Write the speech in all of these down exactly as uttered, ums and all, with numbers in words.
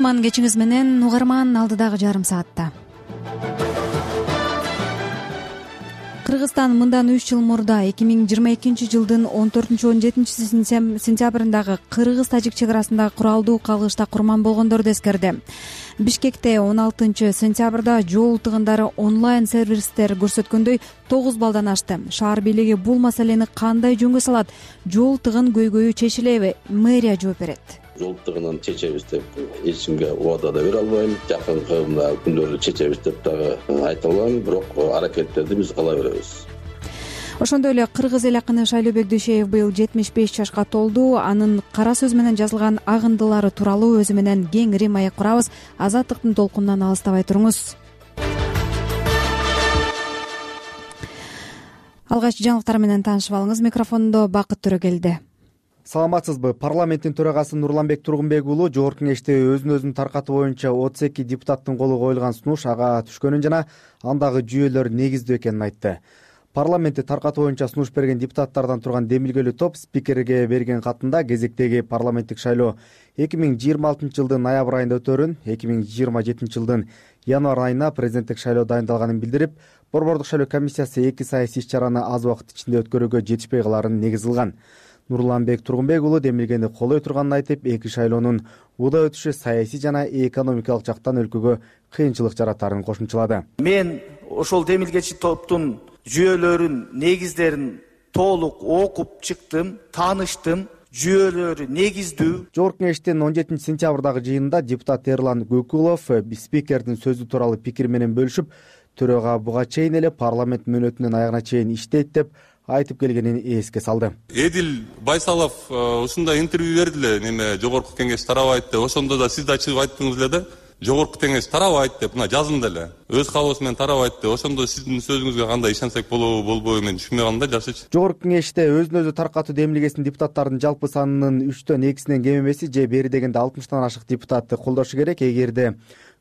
кутман кечиңиз менен угарман алдыдагы жарым саатта. Кыргызстан мындан үч жыл мурда эки миң жыйырма экинчи жылдын он төртүнчү он жетинчи сентябрындагы кыргыз-тажик чек арасында куралдуу кагылышта курман болгондорду эскерди. Бишкекте он алтынчы сентябрда жол тыгындары онлайн сервистер көрсөткөндөй тогуз баллдан ашты. Шаар бийлиги бул маселени кандай жөнгө салат? Жол тыгын көйгөйү чечилеби? Мэрия жооп берет. Жол тыгынын чечебиз деп эч кимге убада да бере албайм. Жакынкы мына күндөрдө чечебиз деп дагы айта албайм, бирок аракеттерди биз кыла беребиз. Ошондой эле кыргыз эл акыны Шайлообек Дүйшеев быйыл жетимиш беш жашка толду. Анын кара сөз менен жазылган агындылары тууралуу өзү менен кеңири маек курабыз. Азаттыктын толкунунан алыстабай туруңуз. Алгач жаңылыктар менен таанышып алыңыз. Микрофондо Бакыт Төрөгелди. Саламатсызбы? Парламенттин төрагасы Нурланбек Тургунбек уулу жогорку кеңеште өзүн өзүн таркатуу боюнча отуз эки депутаттын колу коюлган сунуш ага түшкөнүн жана андагы жүйөлөр негиздүү экенин айтты. Парламентти таркатуу боюнча сунуш берген депутаттардан турган демилгелүү топ спикерге берген катында кезектеги парламенттик шайлоо эки миң жыйырма алтынчы жылдын ноябрь айында өтөөрүн, эки миң жыйырма жетинчи жылдын январь айына президенттик шайлоо дайындалганын билдирип, Борбордук шайлоо комиссиясы эки саясий иш-чараны аз убакыт ичинде өткөрүүгө жетишпей каларын негиз кылган. Нурланбек Тургунбек уулу демилгени колой турганын айтып, эки шайлоонун уда өтүшү саясий жана экономикалык жактан өлкөгө кыйынчылык жаратарын кошумчалады. Мен ошол демилгечи топтун жүйөлөрүн, негиздерин толук окуп чыктым, тааныштым. Жүйөлөрү негиздүү. Жогорку кеңештин он жетинчи сентябрдагы жыйынында депутат Эрлан Көкүлов спикердин сөзү тууралуу пикир менен бөлүшүп, төрага буга чейин эле парламент мөөнөтүнүн аягына чейин иштейт деп айтып келгенин эске салды. Эдил Байсалов ушундай интервью берди эле, неме жогорку кеңеш тарабайт деп. Ошондо да сиз да чыгып айттыңыз эле да. Жогорку кеңеш тарабайт деп, мына жазында эле. Өз каалоосу менен тарабайт деп. Ошондо сиздин сөзүңүзгө кандай ишенсек болобу, болбойбу мен түшүнбөй калдым да жакшычы. Жогорку кеңеште өзүн өзү таркатуу демилгесин депутаттардын жалпы санынын үчтөн экисинен кем эмеси же бери дегенде алтымыштан ашык депутатты колдошу керек. Эгерде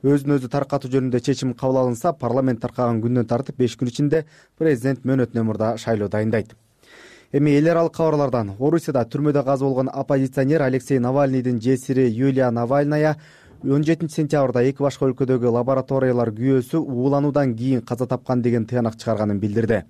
өзүн өзү таркатуу жөнүндө чечим кабыл алынса, парламент таркаган күндөн тартып беш күн ичинде президент мөөнөтүнөн мурда шайлоо дайындайт. Эми эл аралык кабарлардан Орусияда түрмөдө каза болгон оппозиционер Алексей Навальныйдын жесири Юлия Навальная он жетинчи сентябрда эки башка өлкөдөгү лабораториялар күйөөсү уулануудан кийин каза тапкан деген тыянак чыгарганын билдирди.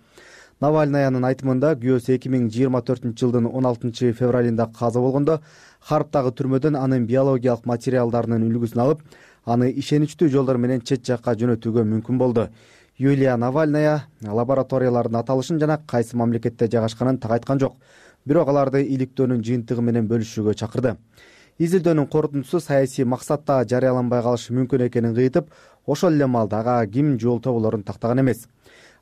Навальнаянын айтымында күйөөсү эки миң жыйырма төртүнчү жылдын он алтынчы февралында каза болгондо Харптагы түрмөдөн анын биологиялык материалдарынын үлгүсүн алып, аны ишеничтүү жолдор менен чет жакка жөнөтүүгө мүмкүн болду. Юлия Навальная лабораториялардын аталышын жана кайсы мамлекетте жайгашканын так айткан жок, бирок аларды иликтөөнүн жыйынтыгы менен бөлүшүүгө чакырды. Изилдөөнүн корутундусу саясий максатта жарыяланбай калышы мүмкүн экенин кыйтып, ошол эле маалда ага ким жол тоболорун тактаган эмес.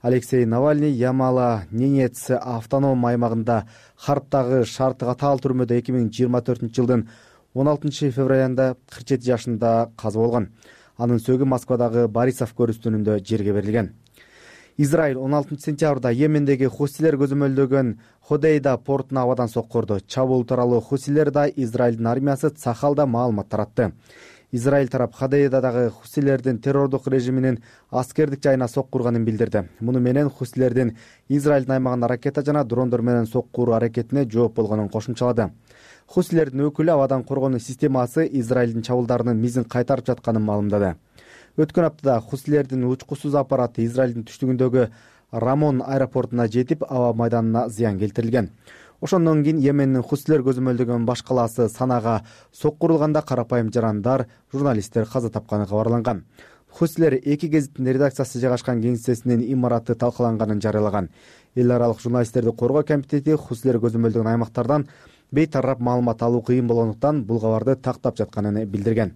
Алексей Навальный Ямало-Ненец автоном аймагында Харптагы шарты катаал түрмөдө эки миң жыйырма төртүнчү жылдын он алтынчы февралында кырк жети жашында каза болгон. Анын сөөгү Москвадагы Борисов көрүстүнүндө жерге берилген. Израиль он алтынчы сентябрда Йемендеги хусилер көзөмөлдөгөн Ходейда портуна абадан соккурду. Чабуул тууралуу хусилер да Израилдин армиясы Цахалда маалымат таратты. Израиль тарап Ходейдадагы хусилердин террордук режиминин аскердик жайына соккурганын билдирди. Муну менен хусилердин Израилдин аймагында ракета жана дрондор менен соккуруу аракетине жооп болгонун кошумчалады. Хусилердин өкүлү абадан коргонуу системасы Израилдин чабуулдарынын мизин кайтарып жатканын маалымдады. Өткөн аптада хусилердин учкусуз аппараты Израилдин түштүгүндөгү Рамон аэропортуна жетип, аба майданына зыян келтирилген. Ошондон кийин Йемендин хусилер көзөмөлдөгөн баш калаасы Санага соккурулганда карапайым жарандар, журналисттер каза тапканы кабарланган. Хусилер эки гезиттин редакциясы жайгашкан кеңсесинин имараты талкаланганын жарыялаган. Эл аралык журналисттерди коргоо комитети хусилер көзөмөлдөгөн аймактардан бейтарап маалымат алуу кыйын болгондуктан бул кабарды тактап жатканын билдирген.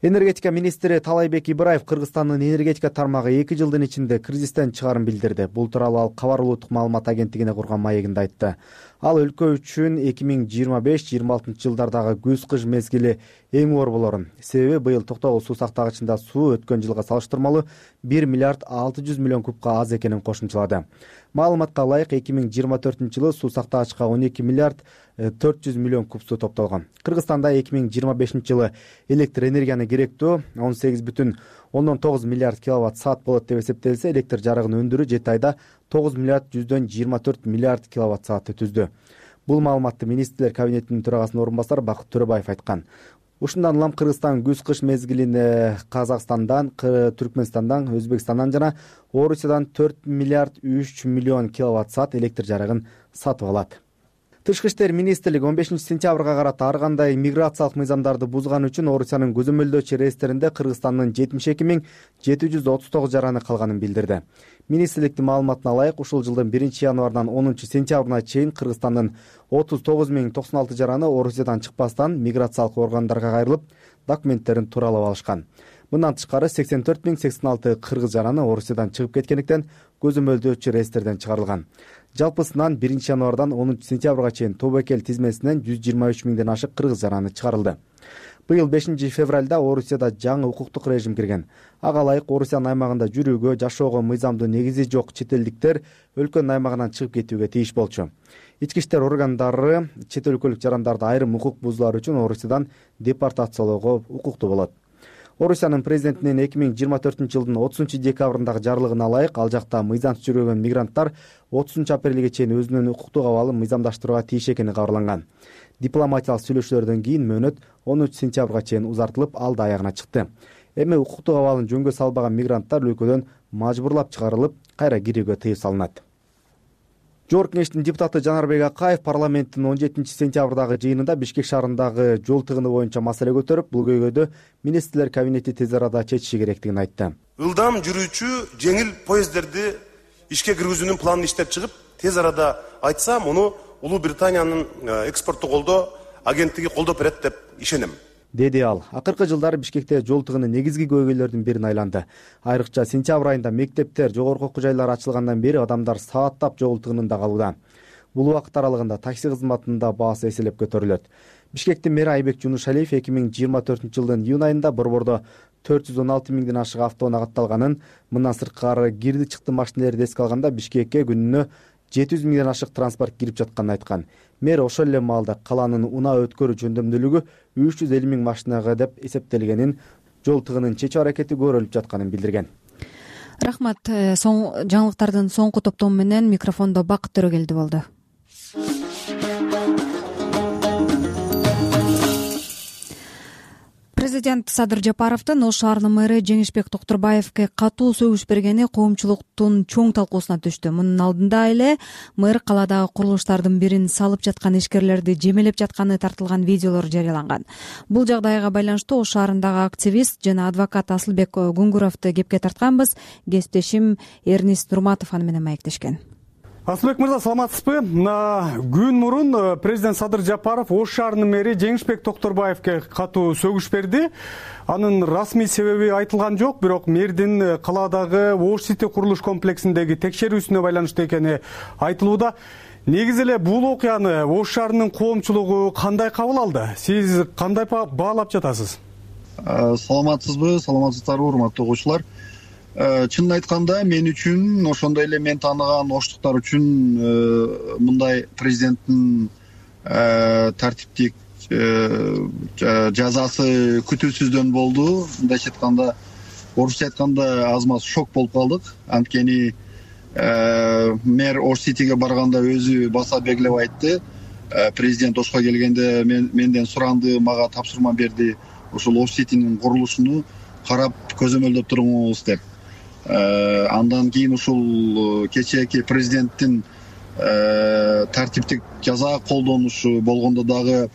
Энергетика министри Талайбек Ибраев Кыргызстандын энергетика тармагы эки жылдын ичинде кризистен чыгарын билдирди. Бул тууралуу ал Кабар улуттук маалымат агенттигине курган маегинде айтты. Ал өлкө үчүн эки миң жыйырма беш жыйырма алтынчы жылдардагы күз-кыш мезгили эң оор болорун, себеби быйыл Токтогул суу сактагычында суу өткөн жылга салыштырмалуу бир миллиард алты жүз миллион кубка аз экенин кошумчалады. Маалыматка ылайык эки миң жыйырма төртүнчү жылы суу сактагычка он эки миллиард төрт жүз миллион куб суу топтолгон. Кыргызстанда эки миң жыйырма бешинчи жылы электр энергияны керектүү он сегиз бүтүн ондон тогуз миллиард киловатт саат болот деп эсептелсе, электр жарыгын өндүрүү жети айда тогуз миллиард жүздөн жыйырма төрт миллиард киловатт саатты түздү. Бул маалыматты министрлер кабинетинин төрагасынын орун басары Бакыт Төрөбаев айткан. Ушундан улам Кыргызстан күз-кыш мезгилине Казакстандан, Түркмөнстандан, Өзбекстандан жана Орусиядан төрт миллиард үч миллион киловатт саат электр жарыгын сатып алат. Тышкы иштер министрлиги он бешинчи сентябрга карата ар кандай миграциялык мыйзамдарды бузган үчүн Орусиянын көзөмөлдөөчү рейстеринде Кыргызстандын жетимиш эки миң жети жүз отуз тогуз жараны калганын билдирди. Министрликтин маалыматына ылайык, ушул жылдын биринчи январынан онунчу сентябрына чейин Кыргызстандын отуз тогуз миң токсон алты жараны Орусиядан чыкпастан миграциялык органдарга кайрылып, документтерин тууралап алышкан. Мындан тышкары сексен төрт миң сексен алты кыргыз жараны Орусиядан чыгып кеткендиктен көзөмөлдөөчү рейстерден чыгарылган. Жалпысынан биринчи январдан онунчу сентябрга чейин тобокел тизмесинен жүз жыйырма үч миңден ашык кыргыз жараны чыгарылды. Быйыл бешинчи февралда Орусияда жаңы укуктук режим кирген. Ага ылайык Орусиянын аймагында жүрүүгө, жашоого мыйзамдуу негизи жок чет элдиктер өлкөнүн аймагынан чыгып кетүүгө тийиш болчу. Ички иштер органдары чет өлкөлүк жарандарды айрым укук бузуулар үчүн Орусиядан депортациялоого укуктуу болот. Орусиянын президентинин эки миң жыйырма төртүнчү жылдын отузунчу декабрындагы жарлыгына ылайык, ал жакта мыйзамсыз жүргөн мигранттар отузунчу апрелге чейин өзүнүн укуктук абалын мыйзамдаштырууга тийиш экени кабарланган. Дипломатиялык сүйлөшүүлөрдөн кийин мөөнөт онунчу сентябрга чейин узартылып, ал да аягына чыкты. Эми укуктук абалын жөнгө салбаган мигранттар өлкөдөн мажбурлап чыгарылып, кайра кирүүгө тыюу салынат. Жогорку кеңештин депутаты Жанарбек Акаев парламенттин он жетинчи сентябрдагы жыйынында Бишкек шаарындагы жол тыгыны боюнча маселе көтөрүп, бул көйгөйдү министрлер кабинети тез арада чечиши керектигин айтты. Ылдам жүрүүчү жеңил поезддерди ишке киргизүүнүн планын иштеп чыгып, тез арада айтса, муну Улуу Британиянын экспорттук колдоо агенттиги колдоп берет деп ишенем, деди ал. Акыркы жылдары Бишкекте жол тыгыны негизги көйгөйлөрдүн бирин айланды. Айрыкча сентябрь айында мектептер, жогорку окуу жайлар ачылгандан бери адамдар сааттап жол тыгынында калууда. Бул убакыт аралыгында такси кызматында баасы эселеп көтөрүлөт. Бишкектин мэри Айбек Жунушалиев эки миң жыйырма төртүнчү жылдын июнь айында борбордо төрт жүз он алты миңден ашык автоунаа катталганын, мындан сырткары кирди-чыкты машинелерди эске алганда Бишкекке күнүнө жети жүз миңден ашык транспорт кирип жатканын айткан. Мэр ошол эле маалда калаанын унаа өткөрүү жөндөмдүүлүгү үч жүз элүү миң машинага деп эсептелгенин, жол тыгынын чечүү аракети көрүлүп жатканын билдирген. Рахмат. Соң жаңылыктардын соңку топтому менен микрофондо Бакыт Төрөгелди болду. Президент Садыр Жапаровдун Ош шаарынын мэрі Жеңишбек Токтурбаевке катуу сөгүш бергени коомчулуктун чоң талкуусуна түштү. Мунун алдында эле мэр каладагы курулуштардын бирин салып жаткан ишкерлерди жемелеп жатканы тартылган видеолор жарыяланган. Бул жагдайга байланыштуу Ош шаарындагы активист жана адвокат Асылбек Гуңгуровду кепке тартканбыз. Кесиптешим Эрнист Нурматов аны менен маектешкен. Асылбек мырза, саламатсызбы? Күн мурун президент Садыр Жапаров Ош шаарынын мэри Жеңишбек Токтурбаевке катуу сөгүш берди. Анын расмий себеби айтылган жок, бирок мэрдин каладагы Ош Сити курулуш комплексиндеги текшерүүсүнө байланыштуу экени айтылууда. Негизи эле бул окуяны Ош шаарынын коомчулугу кандай кабыл алды? Сиз кандай баалап жатасыз? Саламатсызбы, саламатсыздарбы, урматтуу окуучулар. Чынын айтканда, мен үчүн, ошондой эле мен тааныган оштуктар үчүн мындай президенттин тартиптик жазасы күтүүсүздөн болду. Мындайча айтканда, орусча айтканда аз маз шок болуп калдык. Анткени мэр Ош Ситиге барганда өзү баса белгилеп айтты. Президент Ошко келгенде менден суранды, мага тапшырма берди. Ошол Ош Ситинин курулушуну карап көзөмөлдөп туруңуз деп. Андан кийин ушул кечээки президенттин тартиптик жаза колдонушу болгондо дагы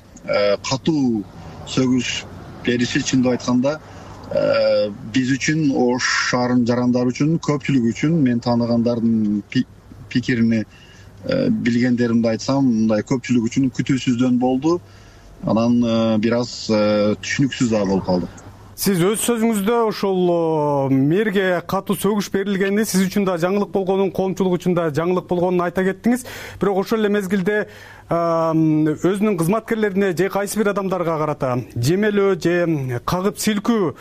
катуу сөгүш бериши, чындап айтканда биз үчүн, Ош шаарынын жарандары үчүн, көпчүлүк үчүн, мен тааныгандардын пикирини билгендеримди айтсам, мындай көпчүлүк үчүн күтүүсүздөн болду. Анан бир аз түшүнүксүз да болуп калдык. Сиз өз сөзүңүздө ошол мэрге катуу сөгүш берилгени сиз үчүн да жаңылык болгонун, коомчулук үчүн да жаңылык болгонун айта кеттиңиз. Бирок ошол эле мезгилде өзүнүн кызматкерлерине же кайсы бир адамдарга карата жемелөө же кагып силкүү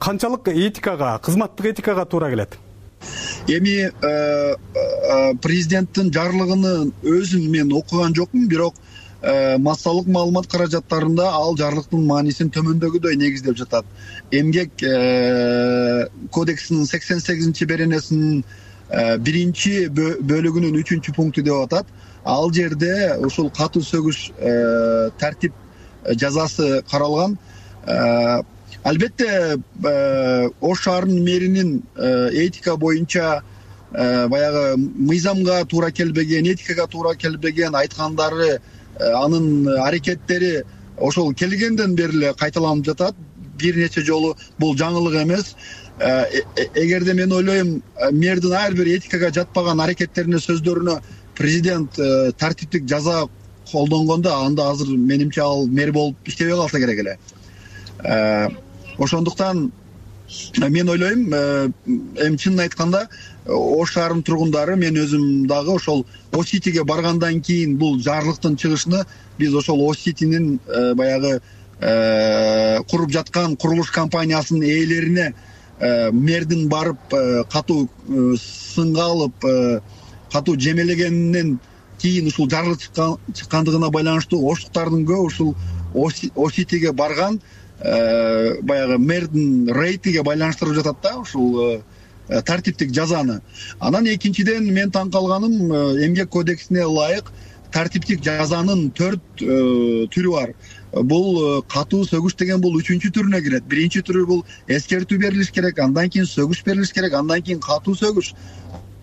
канчалык этикага, кызматтык этикага туура келет? Эми президенттин жарлыгын өзүн мен окуган жокмун, бирок массалык маалымат каражаттарында ал жарлыктын маанисин төмөндөгүдөй негиздеп жатат. Эмгек кодексинин сексен сегизинчи беренесинин биринчи бөлүгүнүн үчүнчү пункту деп атат. Ал жерде ушул катуу сөгүш тартип жазасы каралган. Албетте Ош шаарынын мэринин этика боюнча баягы мыйзамга туура келбеген, этикага туура келбеген айткандары, анын аракеттери ошол келгенден бери эле кайталанып жатат. Бир нече жолу бул жаңылык эмес. Эгерде мен ойлойм, мэрдин ар бир этикага жатпаган аракеттерине, сөздөрүнө президент тартиптик жаза колдонгондо, анда азыр менимче ал мэр болуп иштебей калса керек эле. Ошондуктан мен ойлойм, эми чынын айтканда Ош шаарынын тургундары, мен өзүм дагы ошол О-Ситиге баргандан кийин бул жарлыктын чыгышына биз ошол О-Ситинин баягы куруп жаткан курулуш компаниясынын ээлерине мэрдин барып катуу сынга алып, катуу жемелегенинен кийин ушул жарлык чыккандыгына байланыштуу оштуктардын көп ушул О-Ситиге барган баягы мэрдин рейтиге байланыштырып жатат да ушул тартиптик жазаны. Анан экинчиден мен таң калганым, эмгек кодексине ылайык тартиптик жазанын төрт түрү бар. Бул катуу сөгүш деген бул үчүнчү түрүнө кирет. Биринчи түрү бул эскертүү берилиш керек, андан кийин сөгүш берилиш керек, андан кийин катуу сөгүш,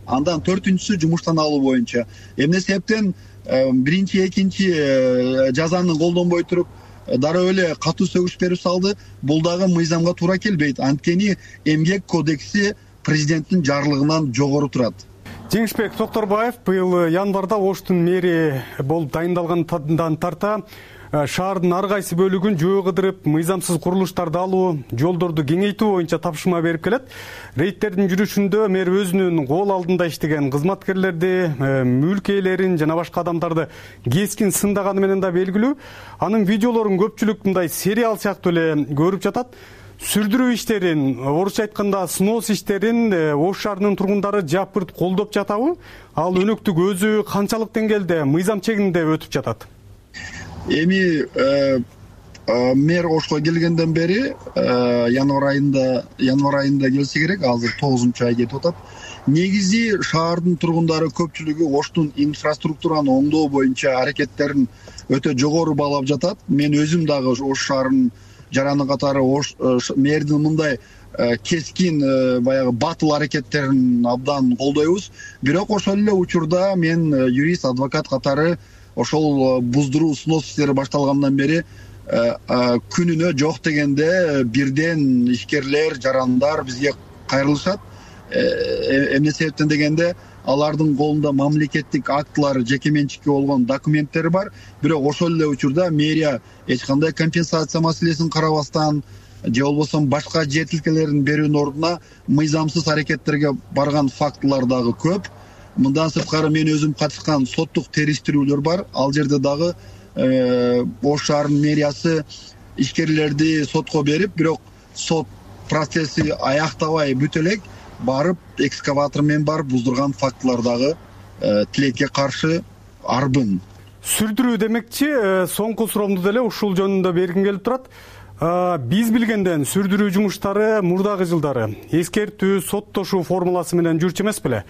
андан төртүнчүсү жумуштан алуу боюнча. Эмне себептен биринчи, экинчи жазаны колдонбой туруп дароо эле катуу сөгүш берип салды? Бул дагы мыйзамга туура келбейт. Анткени эмгек кодекси президенттин жарлыгынан жогору турат. Жеңишбек Токторбаев быйыл январда Оштун мэри болуп дайындалгандан тарта шаардын ар кайсы бөлүгүн жөө кыдырып, мыйзамсыз курулуштарды алуу, жолдорду кеңейтүү боюнча тапшырма берип келет. Рейдтердин жүрүшүндө мэр өзүнүн кол алдында иштеген кызматкерлерди, мүлк ээлерин жана башка адамдарды кескин сындаганы менен да белгилүү. Анын видеолорун көпчүлүк мындай сериал сыяктуу эле көрүп жатат. Сүрдүрүү иштерин, орусча айтканда снос иштерин Ош шаарынын тургундары жапырт колдоп жатабы? Ал өнөктүк өзү канчалык деңгээлде мыйзам чегинде өтүп жатат? Эми мэр Ошко келгенден бери январь айында январь айында келсе керек, азыр тогузунчу ай кетип атат. Негизи шаардын тургундары көпчүлүгү Оштун инфраструктураны оңдоо боюнча аракеттерин өтө жогору баалап жатат. Мен өзүм дагы Ош шаарынын жараны катары мэрдин мындай кескин баягы батыл аракеттерин абдан колдойбуз. Бирок ошол эле учурда мен юрист, адвокат катары ошол буздуруу снос иштери башталгандан бери күнүнө жок дегенде бирден ишкерлер, жарандар бизге кайрылышат. Эмне себептен дегенде, алардын колунда мамлекеттик актылар, жеке менчикке болгон документтери бар. Бирок ошол эле учурда мэрия эч кандай компенсация маселесин карабастан, же болбосо башка жетилкелерин берүүнүн ордуна мыйзамсыз аракеттерге барган фактылар дагы көп. Мындан сырткары мен өзүм катышкан соттук териштирүүлөр бар. Ал жерде дагы Ош шаарынын мэриясы ишкерлерди сотко берип, бирок сот процесси аяктабай бүтө элек барып экскаватор менен барып буздурган фактылар дагы тилекке каршы арбын. Сүрдүрүү демекчи, соңку суроомду деле ушул жөнүндө бергим келип турат. Биз билгенден сүрдүрүү жумуштары мурдагы жылдары эскертүү, соттошуу формуласы менен жүрчү эмес беле?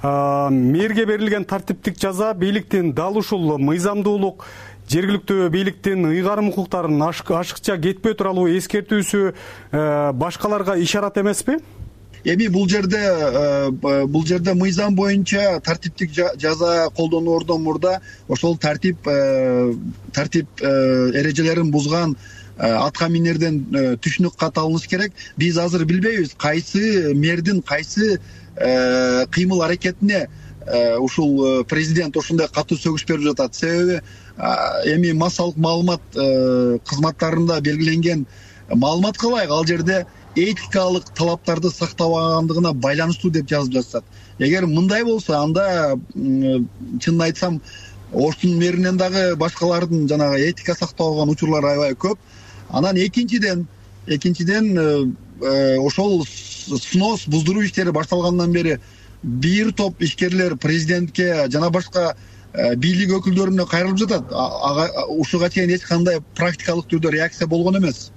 Мэрге берилген тартиптик жаза бийликтин дал ушул мыйзамдуулук, жергиликтүү бийликтин ыйгарым укуктарын ашыкча кетпей туралуу эскертүүсү башкаларга ишарат эмеспи? Эми бул жерде бул жерде мыйзам боюнча тартиптик жаза колдоноордон мурда ошол тартип тартип эрежелерин бузган атка минерден түшүнүк кат алыныш керек. Биз азыр билбейбиз кайсы мэрдин кайсы кыймыл аракетине ушул президент ошондой катуу сөгүш берип жатат. Себеби эми массалык маалымат кызматтарында белгиленген маалыматка ылайык ал жерде этикалык талаптарды сактабагандыгына байланыштуу деп жазып жатышат. Эгер мындай болсо, анда чынын айтсам Оштун мэринен дагы башкалардын жанагы этика сактабаган учурлар аябай көп. Анан экинчиден экинчиден ошол снос буздуруу иштери башталгандан бери бир топ ишкерлер президентке жана башка бийлик өкүлдөрүнө кайрылып жатат. Ушуга чейин эч кандай практикалык түрдө реакция болгон эмес.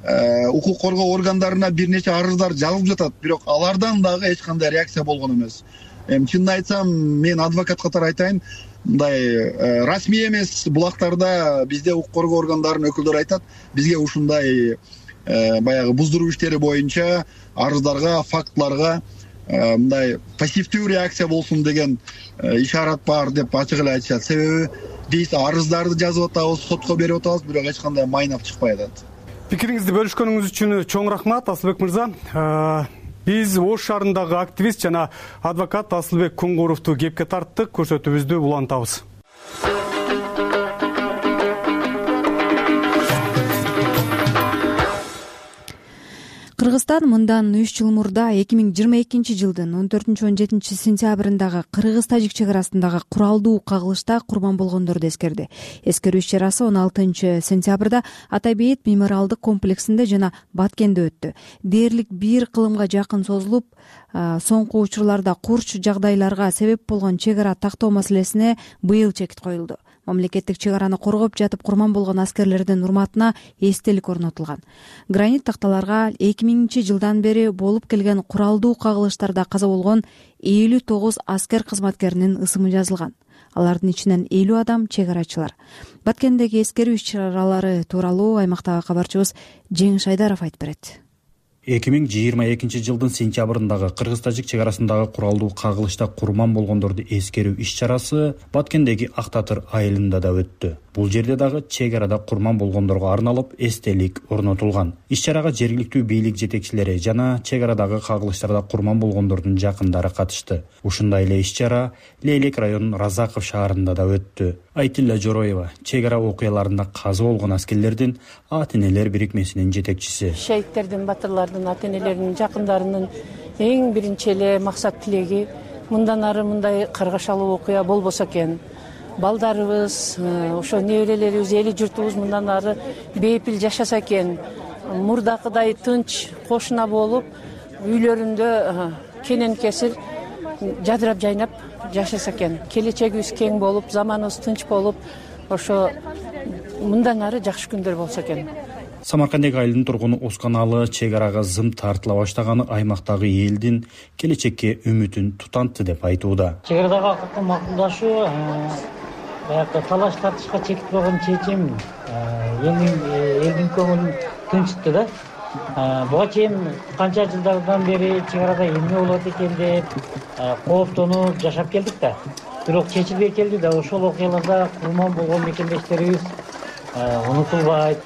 Укук коргоо органдарына бир нече арыздар жазылып жатат, бирок алардан дагы эч кандай реакция болгон эмес. эми чынын айтсам мен адвокат катары айтайын, мындай расмий эмес булактарда бизде укук коргоо органдарынын өкүлдөрү айтат, бизге ушундай баягы буздуруу иштери боюнча арыздарга, фактыларга мындай пассивдүү реакция болсун деген ишарат бар деп ачык эле айтышат. Себеби биз арыздарды жазып атабыз, сотко берип атабыз, бирок эч кандай майнап чыкпай атат. Пикириңизди бөлүшкөнүңүз үчүн чоң рахмат, Асылбек мырза. Биз Ош шаарындагы активист жана адвокат Асылбек Кунгуровду кепке тарттык. Көрсөтүүбүздү улантабыз. Кыргызстан мындан үч жыл мурда эки миң жыйырма экинчи жылдын он төртүнчү он жетинчи сентябрындагы кыргыз-тажик чек арасындагы куралдуу кагылышта курман болгондорду эскерди. Эскерүү иш чарасы он алтынчы сентябрда Ата Бейит мемориалдык комплексинде жана Баткенде өттү. Дээрлик бир кылымга жакын созулуп, соңку учурларда курч жагдайларга себеп болгон чек ара тактоо маселесине быйыл чекит коюлду. Мамлекеттик чек араны коргоп жатып курман болгон аскерлердин урматына эстелик орнотулган. Гранит такталарга эки миңинчи жылдан бери болуп келген куралдуу кагылыштарда каза болгон элүү тогуз аскер кызматкеринин ысымы жазылган. Алардын ичинен элүү адам чек арачылар. Баткендеги эскерүү иш чаралары тууралуу аймактагы кабарчыбыз Жеңиш Айдаров айтып берет. эки миң жыйырма экинчи жылдын сентябрындагы кыргыз-тажик чек арасындагы куралдуу кагылышта курман болгондорду эскерүү иш чарасы Баткендеги Ак Татыр айылында да өттү. Бул жерде дагы чек арада курман болгондорго арналып эстелик орнотулган. Иш чарага жергиликтүү бийлик жетекчилери жана чек арадагы кагылыштарда курман болгондордун жакындары катышты. Ушундай эле иш чара Лейлек районунун Разаков шаарында да өттү. Айтилла Жороева чек ара окуяларында каза болгон аскерлердин ата-энелер бирикмесинин жетекчиси. Шейиттердин, батырлардын ата-энелеринин жакындарынын эң биринчи эле максат тилеги мындан ары мындай каргашалуу окуя болбосо экен. Балдарыбыз, ошо неберелерибиз, эли журтубуз мындан ары бейпил жашаса экен. Мурдакыдай тынч, кошуна болуп, үйлөрүндө кенен кесир жадырап жайнап жашаса экен. Келечегибиз кең болуп, заманыбыз тынч болуп, ошо мындан ары жакшы күндөр болсо экен. Самаркандек айылдын тургуну Осканалы чек арага зым тартыла баштаганы аймактагы элдин келечекке үмүтүн тутантты деп айтууда. Чек арадагы акыркы макулдашуу баягы талаш тартышка чекит болгон чечим элдин көңүлүн тынчытты да. Буга чейин канча жылдардан бери чек арада эмне болот экен деп кооптонуп жашап келдик да. Бирок чечилбей келди да, ошол окуяларда курман болгон мекендештерибиз унутулбайт.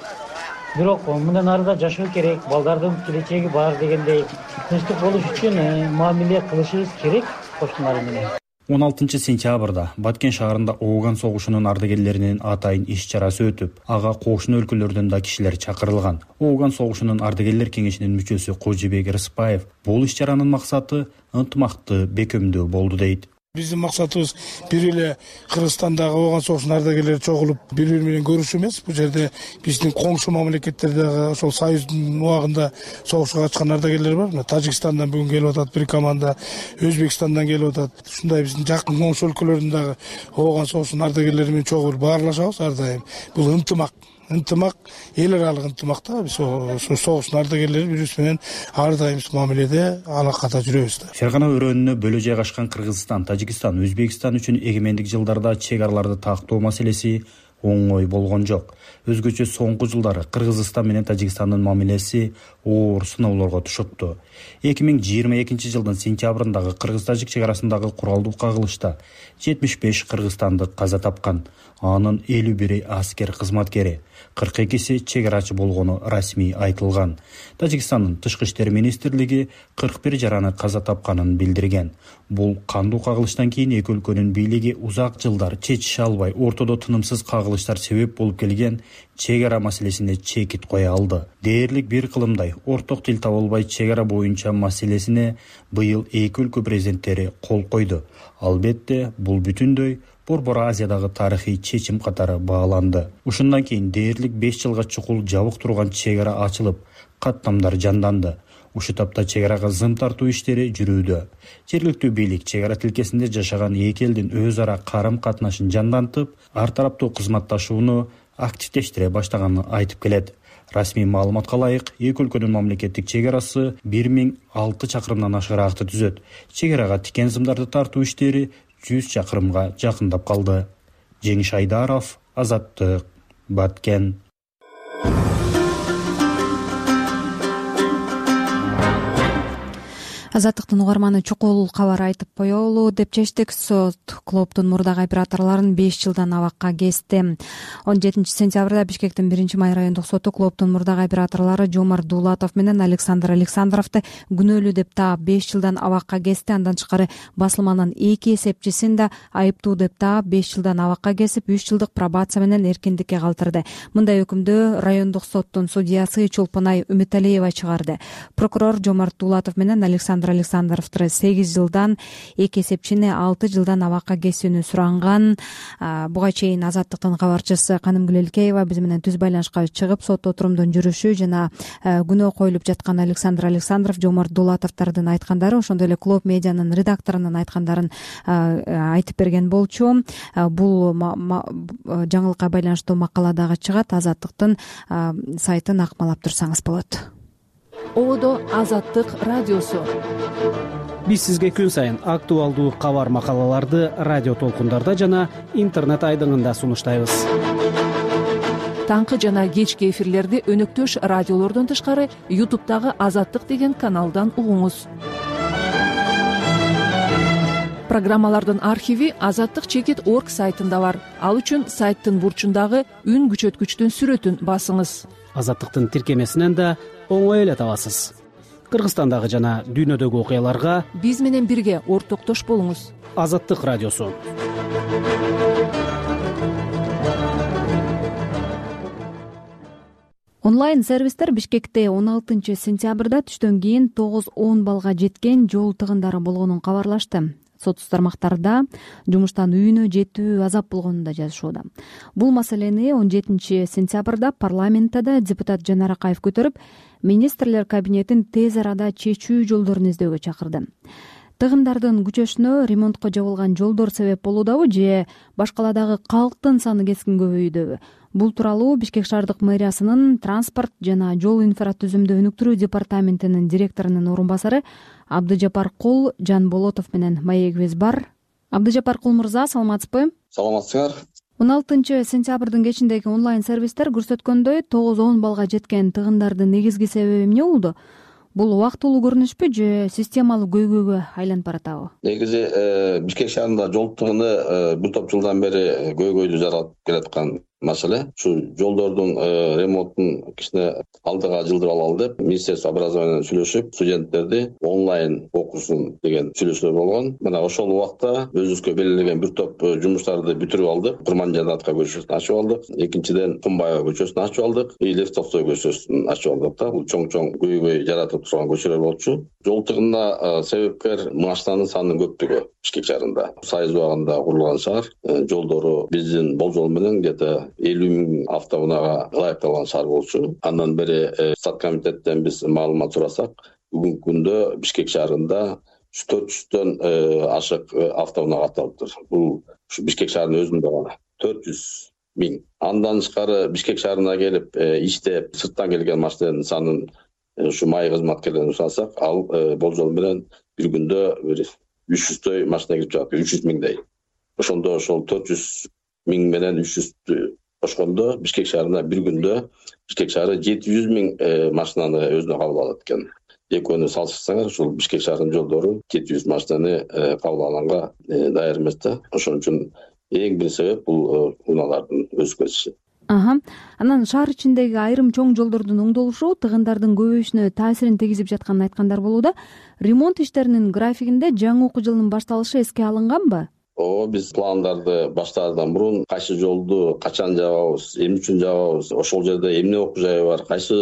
Бирок мындан ары да жашоо керек, балдардын келечеги бар дегендей тынчтык болуш үчүн мамиле кылышыбыз керек кошуналар менен. он алтынчы сентябрда Баткен шаарында Ооган согушунун ардагерлеринин атайын иш чарасы өтүп, ага кошуна өлкөлөрдөн да кишилер чакырылган. Ооган согушунун ардагерлер кеңешинин мүчөсү Кожобек Рыспаев бул иш чаранын максаты ынтымакты бекемдөө болду дейт. Биздин максатыбыз бир эле Кыргызстандагы Ооган согушунун ардагерлери чогулуп бири-бири менен көрүшүү эмес. Бул жерде биздин коңшу мамлекеттердеги ошол союздун убагында согушка катышкан ардагерлер бар. Мына Тажикстандан бүгүн келип атат бир команда, Өзбекстандан келип атат. Ушундай биздин жакын коңшу өлкөлөрдүн дагы Ооган согушунун ардагерлери менен чогуу баарлашабыз ар дайым. Бул ынтымак ынтымак эл аралык ынтымакта биз ошо согуштун ардагерлери биз менен ар дайым мамиледе алакада жүрөбүз да. Фергана өрөөнүнө бөлө жайгашкан Кыргызстан, Тажикстан, Өзбекстан үчүн эгемендик жылдарда чек араларды тактоо маселеси оңой болгон жок. Өзгөчө соңку жылдары Кыргызстан менен Тажикстандын мамилеси оор сыноолорго түшүптү. эки миң жыйырма экинчи жылдын сентябрындагы кыргыз-тажик чек арасындагы куралдуу кагылышта жетимиш беш кыргызстандык каза тапкан. Анын элүү бири аскер кызматкери, кырк экиси чек арачы болгону расмий айтылган. Тажикстандын тышкы иштер министрлиги кырк бир жараны каза тапканын билдирген. Бул кандуу кагылыштан кийин эки өлкөнүн бийлиги узак жылдар чечише албай, ортодо тынымсыз кагылыштар себеп болуп келген чек ара маселесине чекит кое алды. Дээрлик бир кылымдай орток тил таба албай чек ара боюнча маселесине быйыл эки өлкө президенттери кол койду. Албетте, бул бүтүндөй Борбор Азиядагы тарыхый чечим катары бааланды. Ушундан кийин дээрлик беш жылга чукул жабык турган чек ара ачылып, каттамдар жанданды. Ушу тапта чек арага зым тартуу иштери жүрүүдө. Жергиликтүү бийлик чек ара тилкесинде жашаган эки элдин өз ара карым катнашын жандантып, ар тараптуу кызматташууну активдештире баштаганын айтып келет. Расмий маалыматка ылайык, эки өлкөнүн мамлекеттик чек арасы бир миң алты чакырымдан ашыраакты түзөт. Чек арага тикен сымдарды тартуу иштери жүз чакырымга жакындап калды. Жеңиш Айдаров, Азаттык, Баткен. Азаттыктын угарманы чукул кабар айтып коелу деп чечтик. Сот клубдун мурдагы операторлорун беш жылдан абакка кести. он жетинчи сентябрда Бишкектин биринчи май райондук соту клубдун мурдагы операторлору Жомарт Дулатов менен Александр Александровду күнөөлүү деп таап беш жылдан абакка кести. Андан тышкары басылманын эки эсепчисин да айыптуу деп таап беш жылдан абакка кесип, үч жылдык пробация менен эркиндикке калтырды. Мындай өкүмдү райондук соттун судьясы Чолпонай Үмүталиева чыгарды. Прокурор Жомарт Дулатов менен Александр Александровду сегиз жылдан, эки эсепчини алты жылдан абакка кесүүнү суранган. Буга чейин Азаттыктын кабарчысы Канымгүл Элкеева биз менен түз байланышка чыгып, сот отурумдун жүрүшү жана күнөө коюлуп жаткан Александр Александров, Жомарт Дулатовдордун айткандары, ошондой эле Клуб медианын редакторунун айткандарын айтып берген болчу. Бул жаңылыкка байланыштуу макала дагы чыгат. Азаттыктын сайтын акмалап турсаңыз болот. Ободо Азаттык радиосу. Биз сизге күн сайын актуалдуу кабар макалаларды радио толкундарда жана интернет айдыңында сунуштайбыз. Таңкы жана кечки эфирлерди өнөктөш радиолордон тышкары ютубтагы Азаттык деген каналдан угуңуз. Программалардын архиви азаттык чекит точка орг сайтында бар. Ал үчүн сайттын бурчундагы үн күчөткүчтүн сүрөтүн басыңыз. Азаттыктын тиркемесинен да оңой эле табасыз. Кыргызстандагы жана дүйнөдөгү окуяларга биз менен бирге ортоктош болуңуз. Азаттык радиосу. Онлайн сервистер Бишкекте он алтынчы сентябрда түштөн кийин тогуз он баллга жеткен жол тыгындары болгонун кабарлашты. Сотсуз тармактарда жумуштан үйүнө жетүү азап болгонун да жазышууда. Бул маселени он жетинчи сентябрда парламентте да депутат Жанар Акаев көтөрүп, министрлер кабинетин тез арада чечүү жолдорун издөөгө чакырды. Тыгындардын күчөшүнө ремонтко жабылган жолдор себеп болуудабы же башкаладагы калктын саны кескин көбөйүүдөбү? Бул тууралуу Бишкек шаардык мэриясынын транспорт жана жол инфратүзүмдү өнүктүрүү департаментинин директорунун орун басары Абдыжапар Кул Жанболотов менен маегибиз бар. Абдыжапар Кул мырза, саламатсызбы? Саламатсыңар. он алтынчы сентябрдын кечиндеги онлайн сервистер көрсөткөндөй тогуз он баллга жеткен тыгындардын негизги себеби эмне болду? Бул убактылуу көрүнүшпү же системалуу көйгөйгө айланып баратабы? Негизи Бишкек шаарында жол тыгыны бир топ жылдан бери көйгөйдү жаратып келаткан маселе. Ушу жолдордун ремонтун кичине алдыга жылдырып алалы деп Министерство образования менен сүйлөшүп, студенттерди онлайн окусун деген сүйлөшүүлөр болгон. Мына ошол убакта өзүбүзгө белгилеген бир топ жумуштарды бүтүрүп алдык. Курманжанатка көчөсүн ачып алдык. Экинчиден Кумбаева көчөсүн ачып алдык. Лев Толстой көчөсүн ачып алдык да. Бул чоң-чоң көйгөй жаратып турган көчөлөр болчу. Жол тыгынына себепкер машинанын санынын көптүгү Бишкек шаарында. Сайыз убагында курулган шаар, жолдору биздин болжол менен где-то элүү миң автоунаага ылайыкталган шаар болчу. Андан бери стат комитеттен биз маалымат сурасак, бүгүнкү күндө Бишкек шаарында төрт жүздөн ашык автоунаа катталыптыр. Бул ушу Бишкек шаарынын өзүндө гана төрт жүз миң. Андан тышкары Бишкек шаарына келип иштеп, сырттан келген машиналардын санын ушу май кызматкерлерин сурасак, ал болжол менен бир күндө бир үч жүздөй машина кирип жатат, үч жүз миңдей. Ошондо ошол төрт жүз миң менен үч жүздү кошкондо Бишкек шаарына бир күндө Бишкек шаары жети жүз миң машинаны өзүнө кабыл алат экен. Экөөнү салыштырсаңар, ушул Бишкек шаарынын жолдору жети жүз машинаны кабыл алганга даяр эмес да. Ошон үчүн эң бир себеп бул унаалардын өсүп кетиши. Аха. Анан шаар ичиндеги айрым чоң жолдордун оңдолушу тыгындардын көбөйүшүнө таасирин тийгизип жатканын айткандар болууда. Ремонт иштеринин графигинде жаңы окуу жылынын башталышы эске алынганбы? О, биз пландарды баштаардан мурун кайсы жолду качан жабабыз, эмне үчүн жабабыз, ошол жерде эмне окуу жайы бар, кайсы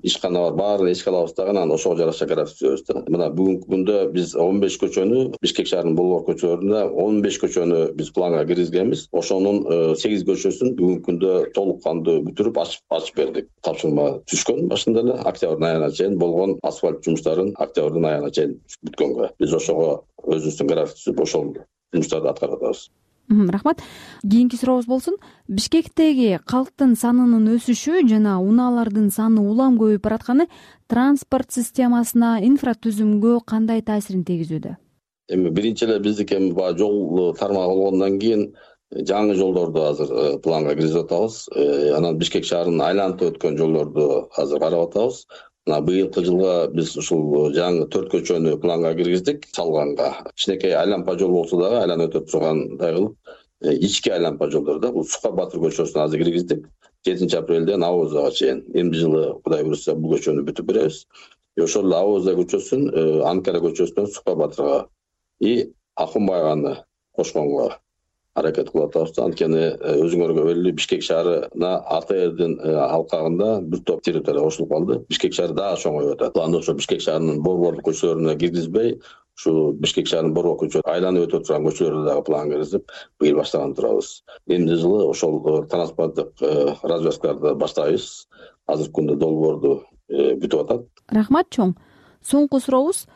ишкана бар, баарын эске алабыз дагы, анан ошого жараша график түзөбүз да. Мына бүгүнкү күндө биз он беш көчөнү, Бишкек шаарынын болгор көчөлөрүндө он беш көчөнү биз планга киргизгенбиз. Ошонун сегиз көчөсүн бүгүнкү күндө толук кандуу бүтүрүп ачып ачып бердик. Тапшырма түшкөн башында эле октябрдын айына чейин болгон асфальт жумуштарын октябрдын айына чейин бүткөнгө. Биз ошого өзүбүздүн график түзүп ошол жумуштарды аткарып атабыз. Рахмат. Кийинки сурообуз болсун. Бишкектеги калктын санынын өсүшү жана унаалардын саны улам көбөйүп баратканы транспорт системасына, инфратүзүмгө кандай таасирин тийгизүүдө? Эми биринчи эле биздики эми баягы жол тармагы болгондон кийин жаңы жолдорду азыр планга киргизип атабыз. Анан Бишкек шаарын айланып өткөн жолдорду азыр карап атабыз. Мына быйылкы жылга биз ушул жаңы төрт көчөнү планга киргиздик салганга. Кичинекей айлампа жол болсо дагы айланып өтүп тургандай кылып, ички айлампа жолдор да, бул Сука Батыр көчөсүн азыр киргиздик. жетинчи апрелден Авозага чейин. Эмди жылы Кудай буйрса бул көчөнү бүтүп беребиз. Ошол эле Авоза көчөсүн Анкара көчөсүнөн Сука Батырга и Акунбайганы кошконго аракет кылып атабыз. Анткени өзүңөргө белгилүү Бишкек шаарына А Т Рдин алкагында бир топ территория кошулуп калды. Бишкек шаары дагы чоңоюп атат. Анда ошо Бишкек шаарынын борборлук көчөлөрүнө киргизбей, ушу Бишкек шаарынын борбор көчө айланып өтө турган көчөлөрдү дагы планга киргизип, быйыл баштаган турабыз. Эмди жылы ошол транспорттук развязкаларды баштайбыз. Азыркы күндө долбоорду бүтүп атат. Рахмат чоң. Соңку сурообуз.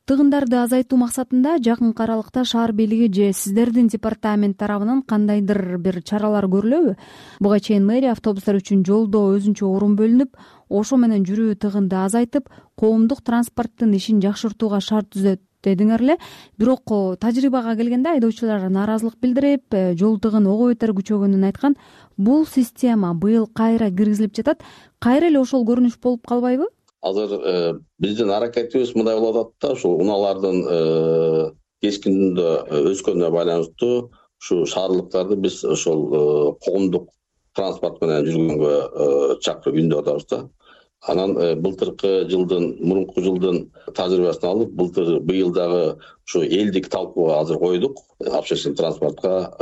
Тыгындарды азайтуу максатында жакынкы аралыкта шаар бийлиги же сиздердин департамент тарабынан кандайдыр бир чаралар көрүлөбү? Буга чейин мэрия автобустар үчүн жолдо өзүнчө орун бөлүнүп, ошо менен жүрүү тыгынды азайтып, коомдук транспорттун ишин жакшыртууга шарт түзөт дедиңер эле. Бирок тажрыйбага келгенде айдоочулар нааразылык билдирип, жол тыгын ого бетер күчөгөнүн айткан. Бул система быйыл кайра киргизилип жатат. Кайра эле ошол көрүнүш болуп калбайбы? Азыр биздин аракетибиз мындай болуп атат да, ушул унаалардын кескиндө өскөнүнө байланыштуу ушу шаардыктарды биз ошол коомдук транспорт менен жүргөнгө чакырып үндөп атабыз да. Анан былтыркы жылдын, мурунку жылдын тажрыйбасын алып, былтыр быйыл дагы ушу элдик талкууга азыр койдук. Общественный транспортко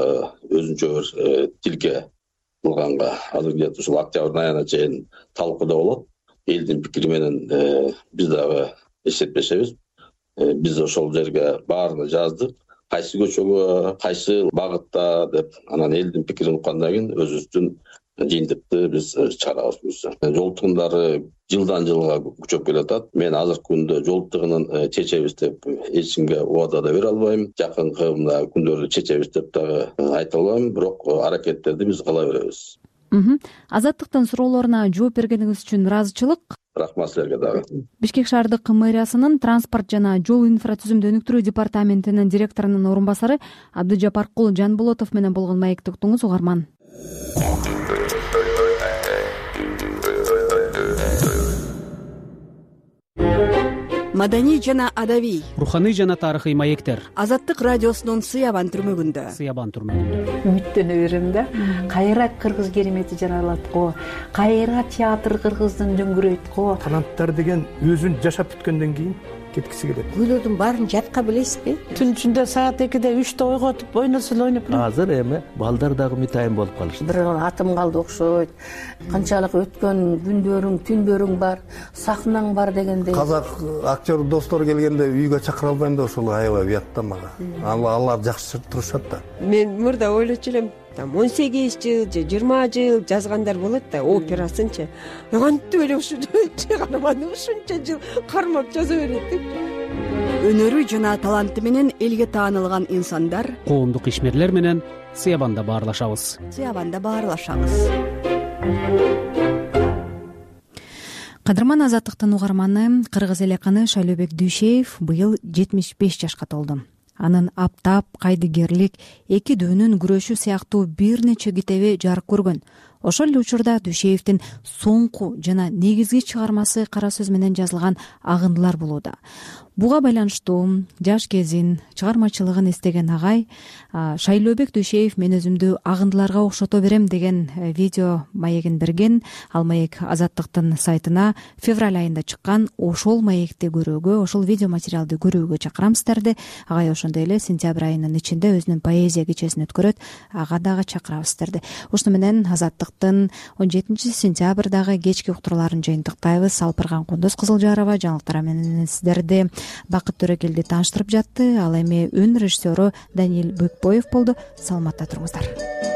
өзүнчө бир тилке кылганга азыр где-то ушул октябрь айына чейин талкууда болот. Элдин пикири менен биз дагы эсептешебиз. Биз ошол жерге баарына жаздык. Кайсы көчөгө, кайсы багытта деп, анан элдин пикирин уккандан кийин өзүбүздүн жыйынтыкты биз чыгарабыз буюрса. Жол тыгындары жылдан жылга күчөп келатат. Мен азыркы күндө жол тыгынын чечебиз деп эч кимге убада да бере албайм. Жакынкы мына күндөрдө чечебиз деп дагы айта албайм, бирок аракеттерди биз кыла беребиз. Азаттыктын суроолоруна жооп бергениңиз үчүн ыраазычылык. Рахмат силерге дагы. Бишкек шаардык мэриясынын транспорт жана жол инфратүзүмдү өнүктүрүү департаментинин директорунун орун басары Абдыжапаркул Жанболотов менен болгон маекти уктуңуз, угарман. Маданий жана адабий, руханий жана тарыхый маектер. Азаттык радиосунун Сыябан түрмөгүндө. Сыябан түрмөгүндө. Үмүттөнө берем да. Кайра кыргыз керемети жаралат го. Кайра театр кыргыздын дөңгүрөйт го. Таланттар деген өзүн жашап бүткөндөн кийин кеткиси келет. Күйлөрдүн баарын жатка билесизби? Түн ичинде саат экиде үчтө ойготуп ойносо эле ойноп турат. Азыр эми балдар дагы мытайын болуп калышты. Бир атым калды окшойт. Канчалык өткөн күндөрүң, түндөрүң бар, сахнаң бар дегендей. Казак актер достор келгенде үйгө чакыра албайм да, ошол аябай уят да мага. Алар жакшы турушат да. Мен мурда ойлочу элем, там он сегиз жыл же жыйырма жыл жазгандар болот да, операсынчы. Кантип эле ушунча канаманы ушунча жыл кармап жаза берет деп. Өнөрү жана таланты менен элге таанылган инсандар, коомдук ишмерлер менен Сыябанда баарлашабыз. Сыябанда баарлашабыз. Кадырман Азаттыктын угарманы, кыргыз элеканы Шайлообек Дүйшеев быйыл жетимиш беш жашка толду. Анын Аптап, Кайдыгерлик, Эки дөөнүн күрөшү сыяктуу бир нече китеби жарык көргөн. Ошол эле учурда Дүйшеевдин соңку жана негизги чыгармасы кара сөз менен жазылган Агындылар болууда. Буга байланыштуу жаш кезин, чыгармачылыгын эстеген агай Шайлообек Дүйшеев мен өзүмдү агындыларга окшото берем деген видео маегин берген. Ал маек Азаттыктын сайтына февраль айында чыккан. Ошол маекти көрүүгө, ошол видео материалды көрүүгө чакырам сиздерди. Агай ошондой эле сентябрь айынын ичинде өзүнүн поэзия кечесин өткөрөт. Ага дагы чакырабыз сиздерди. Ошону менен Азаттыктын он жетинчи сентябрдагы кечки уктурууларын жыйынтыктайбыз. Алпырган Кундуз Кызылжарова жаңылыктар менен сиздерди Бакыт Төрөкелди тааныштырып жатты. Ал эми өн режиссеру Даниил Бөкпоев болду. Саламатта туруңуздар.